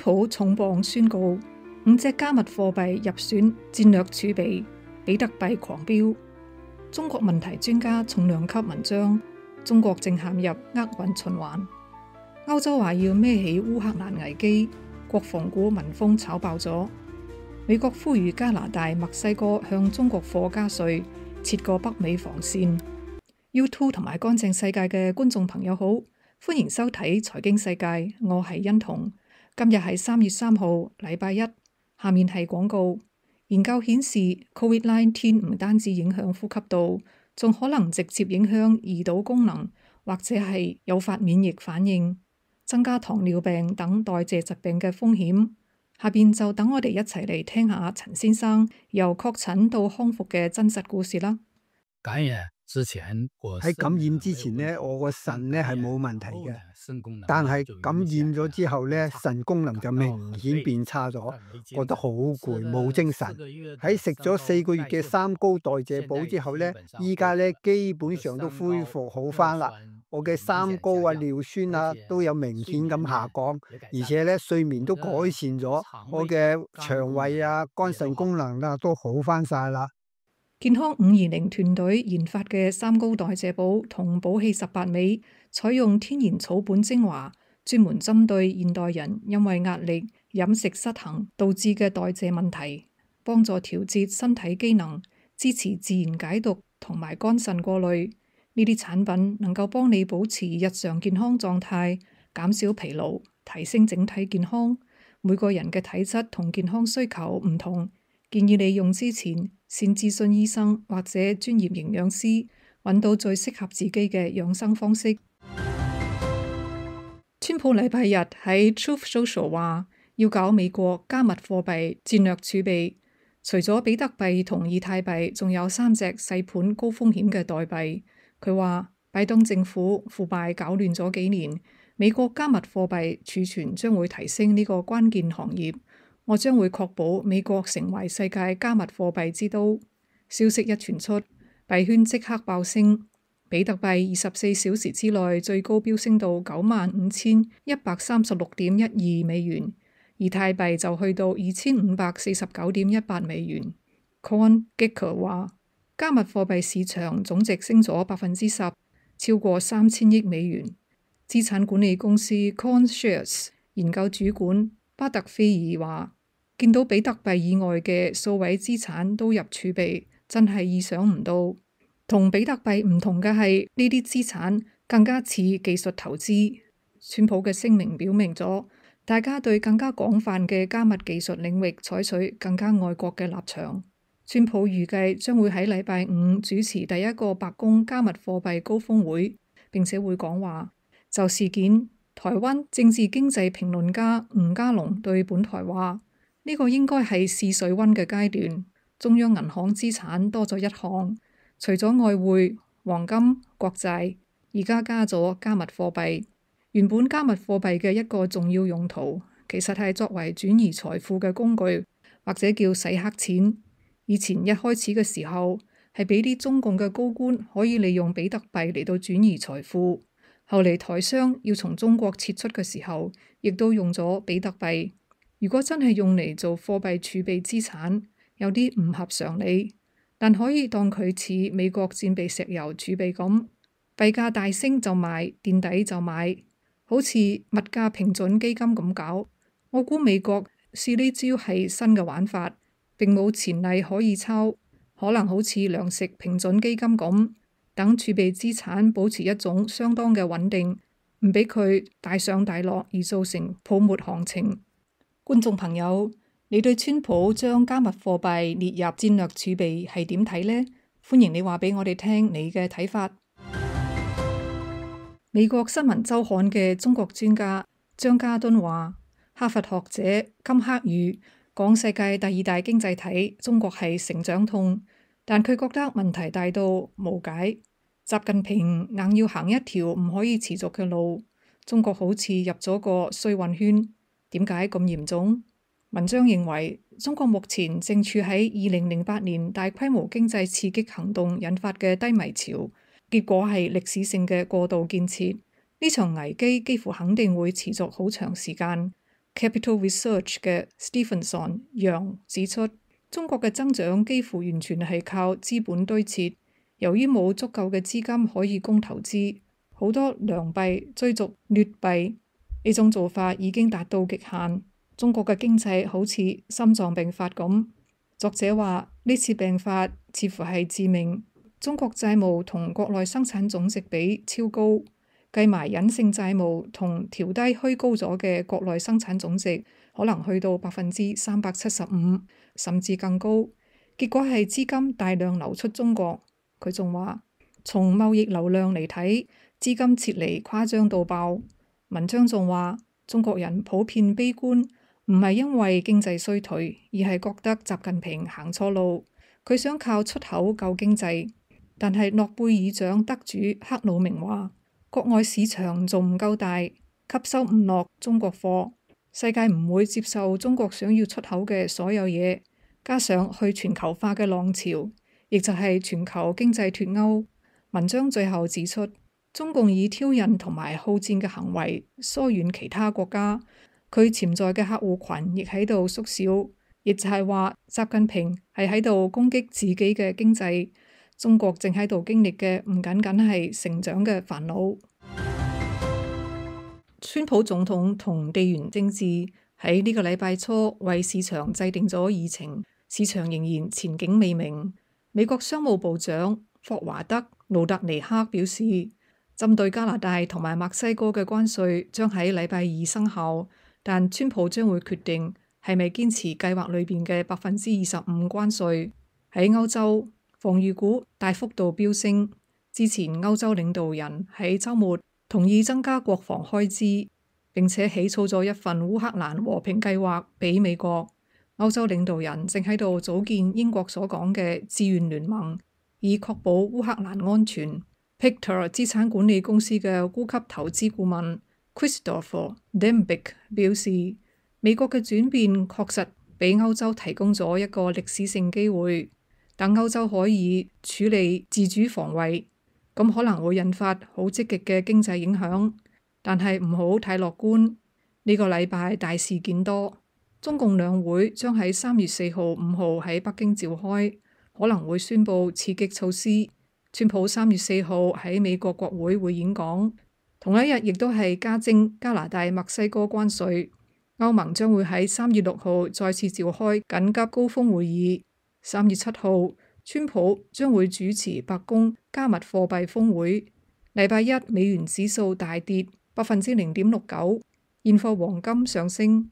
普重磅宣告5隻加密貨幣入選戰略儲備，比特幣狂飆。中國問題專家重量級文章：中國正陷入厄運循環。歐洲話要孭起烏克蘭危機，國防股聞風炒爆咗。美國呼籲加拿大、墨西哥向中國貨加稅，設個北美防線。YouTube 同埋乾淨世界嘅觀眾朋友好，歡迎收睇財經世界，我係欣彤。今日係3月3號，禮拜一。下面係廣告。研究顯示 ，COVID-19 唔單止影響呼吸道，仲可能直接影響胰島功能，或者係誘發免疫反應，增加糖尿病等代謝疾病嘅風險。下邊就等我哋一齊嚟聽下陳先生由確診到康復嘅真實故事啦。感染之前，喺感染之前呢，我個腎呢係冇問題嘅，但係感染咗之後呢，腎功能就明顯變差咗，覺得好攰，冇精神。喺食咗4個月嘅三高代謝補之後呢，依家呢基本上都恢復好返啦。我嘅三高啊、尿酸啊都有明顯咁下降，而且呢睡眠都改善咗，我嘅腸胃啊、肝腎功能啊都好返晒啦。健康520團隊研發嘅三高代謝補同補氣18味，採用天然草本精華，專門針對現代人因為壓力、飲食失衡導致嘅代謝問題，幫助調節身體機能，支持自然解毒同埋肝腎過濾。呢啲產品能夠幫你保持日常健康狀態，減少疲勞，提升整體健康。每個人嘅體質同健康需求唔同，建議你用之前先諮詢醫生或者專業營養師，揾到最適合自己嘅養生方式。川普禮拜日喺 Truth Social 話要搞美國加密貨幣戰略儲備，除咗比特幣同以太幣，仲有3隻細盤高風險嘅代幣。佢話拜登政府腐敗搞亂咗幾年，美國加密貨幣儲存將會提升呢個關鍵行業。我將會確保美國成為世界加密貨幣之都。消息一傳出，幣圈即刻爆升，比特幣24小時之內最高飆升到95,136.12美元，以太幣就去到2,549.18美元。CoinGecko 話，加密貨幣市場總值升咗10%，超過3000億美元。資產管理公司 CoinShares 研究主管巴特菲爾話，見到比特幣以外嘅數位資產都入儲備，真係意想唔到。同比特幣唔同嘅係，呢啲資產更加似技術投資。川普嘅聲明表明咗，大家對更加廣泛嘅加密技術領域採取更加愛國嘅立場。川普預計將會喺禮拜5主持第一個白宮加密貨幣高峰會，並且會講話。就事件，台灣政治經濟評論家吳家龍對本台話：呢個應該係試水溫嘅階段。中央銀行資產多咗一項，除咗外匯、黃金、國債，而家加咗加密貨幣。原本加密貨幣嘅一個重要用途，其實係作為轉移財富嘅工具，或者叫洗黑錢。以前一開始嘅時候，係俾啲中共嘅高官可以利用比特幣嚟到轉移財富。後嚟台商要從中國撤出嘅時候，亦都用咗比特幣。如果真係用嚟做貨幣儲備資產，有啲唔合常理，但可以當佢似美國戰備石油儲備咁，幣價大升就賣，墊底就買，好似物價平準基金咁搞。我估美國試呢招係新嘅玩法，並冇前例可以抄，可能好似糧食平準基金咁。等儲備資產保持一種相當嘅穩定，唔俾佢大上大落而造成泡沫行情。觀眾朋友，你對川普將加密貨幣列入戰略儲備係點睇呢？歡迎你話俾我哋聽你嘅睇法。美國新聞週刊嘅中國專家張家敦話，哈佛學者金克宇講世界第2大經濟體中國係成長痛，但佢覺得問題大到無解。習近平硬要行一條唔可以持續嘅路，中國好似入咗個衰運圈。點解咁嚴重？文章認為，中國目前正處喺2008年大規模經濟刺激行動引發嘅低迷潮，結果係歷史性嘅過度建設。呢場危機幾乎肯定會持續好長時間。Capital Research 嘅 Stephenson 楊指出，中國嘅增長幾乎完全係靠資本堆砌，由於冇足夠嘅資金可以供投資，好多良幣追逐劣幣，呢種做法已經達到極限。中國嘅經濟好似心臟病發咁。作者話呢次病發似乎係致命。中國債務同國內生產總值比超高，計埋隱性債務同調低虛高咗嘅國內生產總值，可能去到375%，甚至更高。結果係資金大量流出中國。佢仲話，從貿易流量嚟睇，資金撤離誇張到爆。文章仲話，中國人普遍悲觀，唔係因為經濟衰退，而係覺得習近平行錯路，佢想靠出口救經濟。但係諾貝爾獎得主克魯明話，國外市場仲唔夠大，吸收唔落中國貨，世界唔會接受中國想要出口嘅所有嘢，加上去全球化嘅浪潮，亦就係全球經濟脫鈎。文章最後指出，中共以挑釁同埋好戰嘅行為疏遠其他國家，佢潛在嘅客戶群亦喺度縮小，亦就係話習近平係喺度攻擊自己嘅經濟。中國正喺度經歷嘅唔僅僅係成長嘅煩惱。川普總統同地緣政治喺呢個禮拜初為市場制定咗議程，市場仍然前景未明。美國商務部長霍華德·盧特尼克表示，針對加拿大同埋墨西哥嘅關稅將喺禮拜二生效，但川普將會決定係咪堅持計劃裏邊嘅25%關稅。喺歐洲，防禦股大幅度飆升。之前歐洲領導人喺週末同意增加國防開支，並且起草咗一份烏克蘭和平計劃俾美國。歐洲領導人正喺度組建英國所講嘅志願聯盟，以確保烏克蘭安全。Pictor 資產管理公司嘅高級投資顧問 Christopher Dembick 表示，美國嘅轉變確實俾歐洲提供咗一個歷史性機會。等歐洲可以處理自主防衛，咁可能會引發好積極嘅經濟影響，但係唔好太樂觀。呢個禮拜大事件多，中共兩會將喺3月4號、5號喺北京召開，可能會宣布刺激措施。川普3月4號喺美國國會會演講，同一日亦都係加徵加拿大、墨西哥關稅。歐盟將會喺3月6號再次召開緊急高峰會議。3月7號，川普將會主持白宮加密貨幣峰會。禮拜一美元指數大跌0.69%，現貨黃金上升。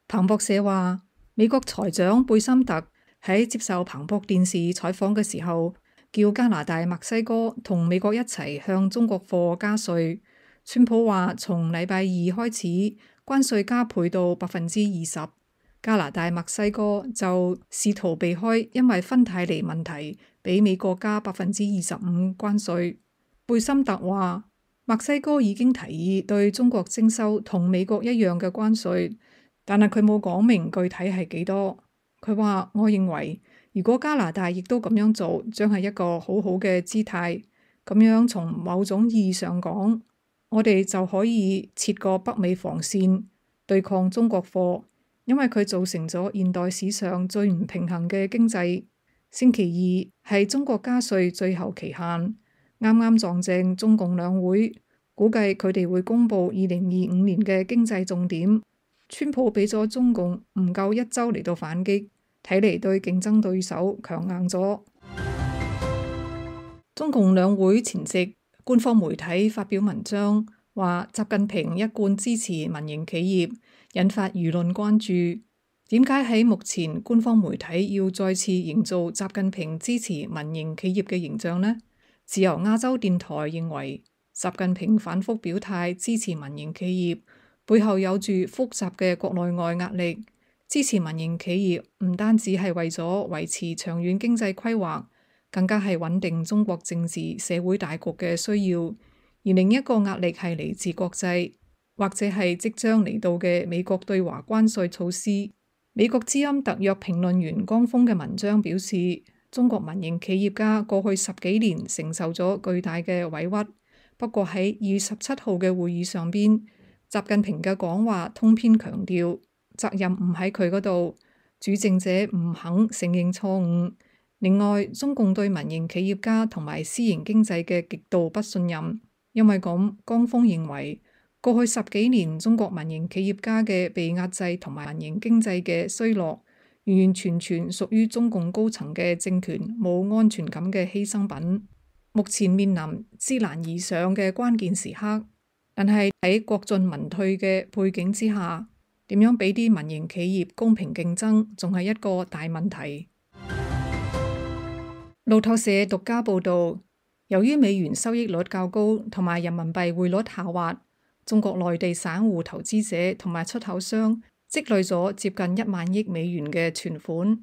彭博社話，美國財長貝森特喺接受彭博電視採訪嘅時候，叫加拿大、墨西哥同美國一齊向中國貨加稅。川普話，從禮拜二開始，關稅加倍到20%。加拿大、墨西哥就試圖避開因為芬太尼問題俾美國加25%關稅。貝森特話，墨西哥已經提議對中國徵收同美國一樣嘅關稅，但係佢冇講明具體係幾多。佢話，我認為如果加拿大亦都咁樣做，將係一個好好嘅姿態。咁樣從某種意義上講，我哋就可以設個北美防線對抗中國貨。因為佢造成咗現代史上最唔平衡嘅經濟。星期二係中國加稅最後期限，啱啱撞正中共兩會，估計佢哋會公布2025年嘅經濟重點。川普俾咗中共唔夠1週嚟到反擊，睇嚟對競爭對手強硬咗。中共兩會前夕，官方媒體發表文章，話習近平一貫支持民營企業，引發輿論關注。點解喺目前官方媒體要再次營造習近平支持民營企業嘅形象呢？自由亞洲電台認為，習近平反覆表態支持民營企業，背後有住複雜嘅國內外壓力。支持民營企業唔單止係為咗維持長遠經濟規劃，更加係穩定中國政治社會大局嘅需要。而另一個壓力係嚟自國際，或者係即將嚟到嘅美國對華關稅措施。美國之音特約評論員江峰嘅文章表示，中國民營企業家過去10幾年承受咗巨大嘅委屈，不過喺2月17號嘅會議上邊，習近平嘅講話通篇強調責任唔喺佢嗰度，主政者唔肯承認錯誤。另外，中共對民營企業家同埋私營經濟嘅極度不信任，因為咁，江峰認為過去10幾年中國民營企業家嘅被壓制同埋民營經濟嘅衰落，完完全全屬於中共高層嘅政權冇安全感嘅犧牲品。目前面臨知難而上嘅關鍵時刻。但係喺國進民退嘅背景之下，點樣俾啲民營企業公平競爭，仲係一個大問題。路透社獨家報導，由於美元收益率較高同埋人民幣匯率下滑，中國內地散戶投資者同埋出口商積累咗接近1萬億美元嘅存款。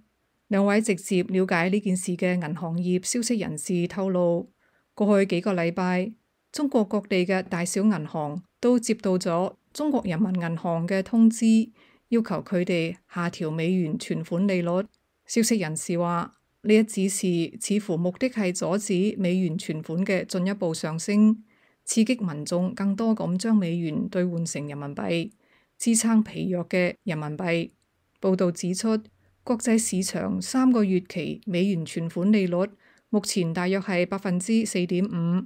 兩位直接了解呢件事嘅銀行業消息人士透露，過去幾個禮拜，中國各地嘅大小銀行都接到咗中國人民銀行嘅通知，要求佢哋下調美元存款利率。消息人士話，呢一指示似乎目的係阻止美元存款嘅進一步上升，刺激民眾更多咁將美元兌換成人民幣，支撐疲弱嘅人民幣。報導指出，國際市場3個月期美元存款利率目前大約係4.5%。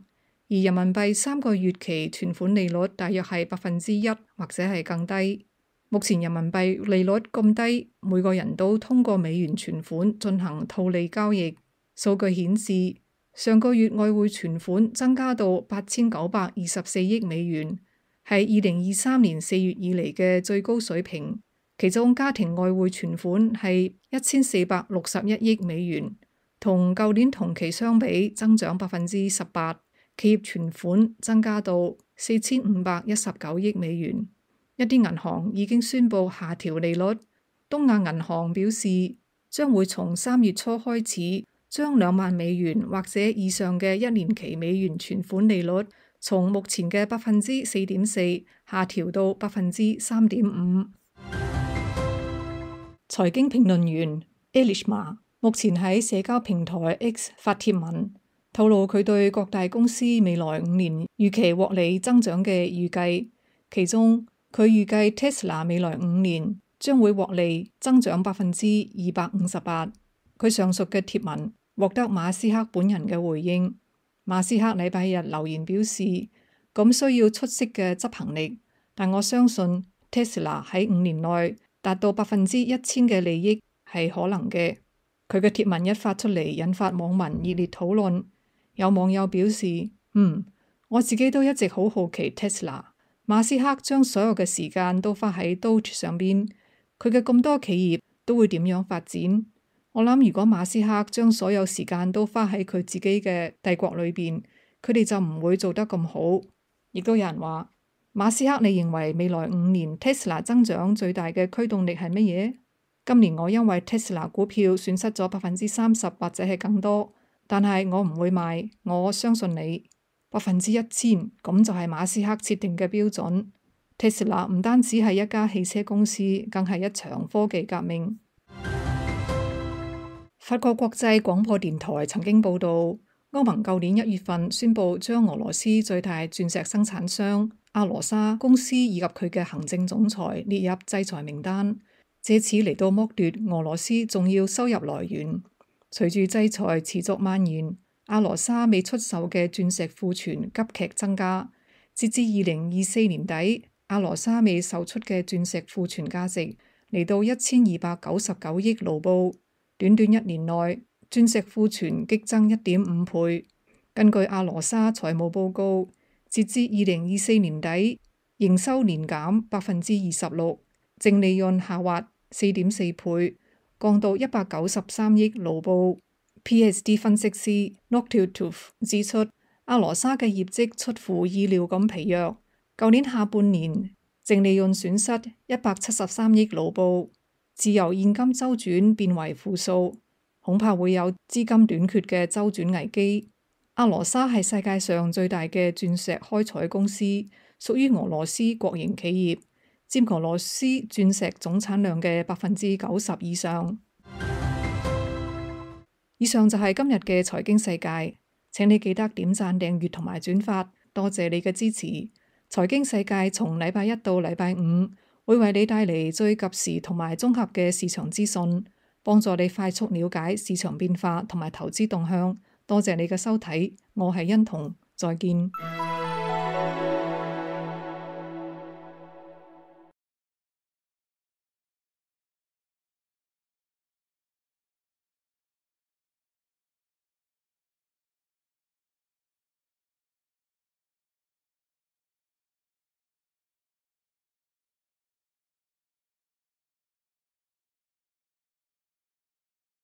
而人民幣3個月期存款利率大約係1%或者係更低。目前人民幣利率咁低，每個人都通過美元存款進行套利交易。數據顯示，上個月外匯存款增加到8924億美元，係2023年4月以嚟嘅最高水平。其中家庭外匯存款係1461億美元，同舊年同期相比增長18%。企業存款增加到4519億美元，一啲銀行已經宣布下調利率。東亞銀行表示，將會從3月初開始，將2萬美元或者以上嘅1年期美元存款利率，從目前嘅4.4%下調到3.5%。財經評論員 Elishma 目前喺社交平台 X 發帖文，透露佢對各大公司未來5年預期獲利增長嘅預計，其中佢預計 Tesla 未來5年將會獲利增長258%。佢上述嘅貼文獲得馬斯克本人嘅回應。馬斯克禮拜日留言表示，咁需要出色嘅執行力，但我相信 Tesla 喺5年內達到1000%嘅利益係可能嘅。佢嘅貼文一發出嚟，引發網民熱烈討論。有網友表示，我自己都一直好好奇 Tesla。馬斯克將所有嘅時間都花喺 Doge 上邊，佢嘅咁多企業都會點樣發展？我諗如果馬斯克將所有時間都花喺佢自己嘅帝國裏邊，佢哋就唔會做得咁好。亦都有人話，馬斯克，你認為未來5年 Tesla 增長最大嘅驅動力係乜嘢？今年我因為 Tesla 股票損失咗30%或者係更多。但係我唔會賣，我相信你1000%，咁就係馬斯克設定嘅標準。Tesla 唔單止係一家汽車公司，更係一場科技革命。法國國際廣播電台曾經報導，歐盟舊年1月份宣布將俄羅斯最大鑽石生產商阿羅莎公司以及佢嘅行政總裁列入制裁名單，藉此嚟到剝奪俄羅斯重要收入來源。隨住制裁持續蔓延，阿羅莎未出售嘅鑽石庫存急劇增加。截至2024年底，阿羅莎未售出嘅鑽石庫存價值嚟到1299億盧布。短短1年內，鑽石庫存激增1.5倍。根據阿羅莎財務報告，截至2024年底，營收年減26%，淨利潤下滑4.4倍。降到193億盧布。PSD 分析師 Noctiltooth 指出，阿羅莎嘅業績出乎意料咁疲弱，舊年下半年淨利潤損失173億盧布，自由現金周轉變為負數，恐怕會有資金短缺嘅周轉危機。阿羅莎係世界上最大嘅鑽石開採公司，屬於俄羅斯國營企業，佔俄羅斯鑽石總產量嘅90%以上。以上就係今日嘅財經世界，請你記得點讚、訂閱同埋轉發，多謝你嘅支持。財經世界從禮拜一到禮拜五會為你帶嚟最及時同埋綜合嘅市場資訊，幫助你快速了解市場變化同埋投資動向。多謝你嘅收睇，我係欣彤，再見。